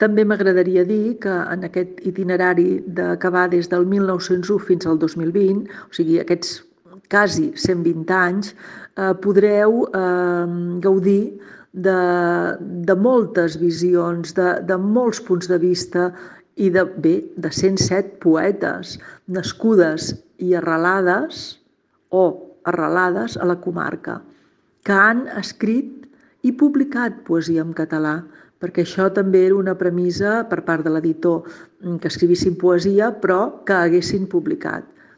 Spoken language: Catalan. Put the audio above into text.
També m'agradaria dir que en aquest itinerari que va des del 1901 fins al 2020, o sigui, aquests quasi 120 anys, podreu gaudir de moltes visions, de molts punts de vista i de 107 poetes nascudes i arrelades a la comarca, que han escrit i publicat poesia en català, perquè això també era una premissa per part de l'editor, que escrivissin poesia, però que haguessin publicat.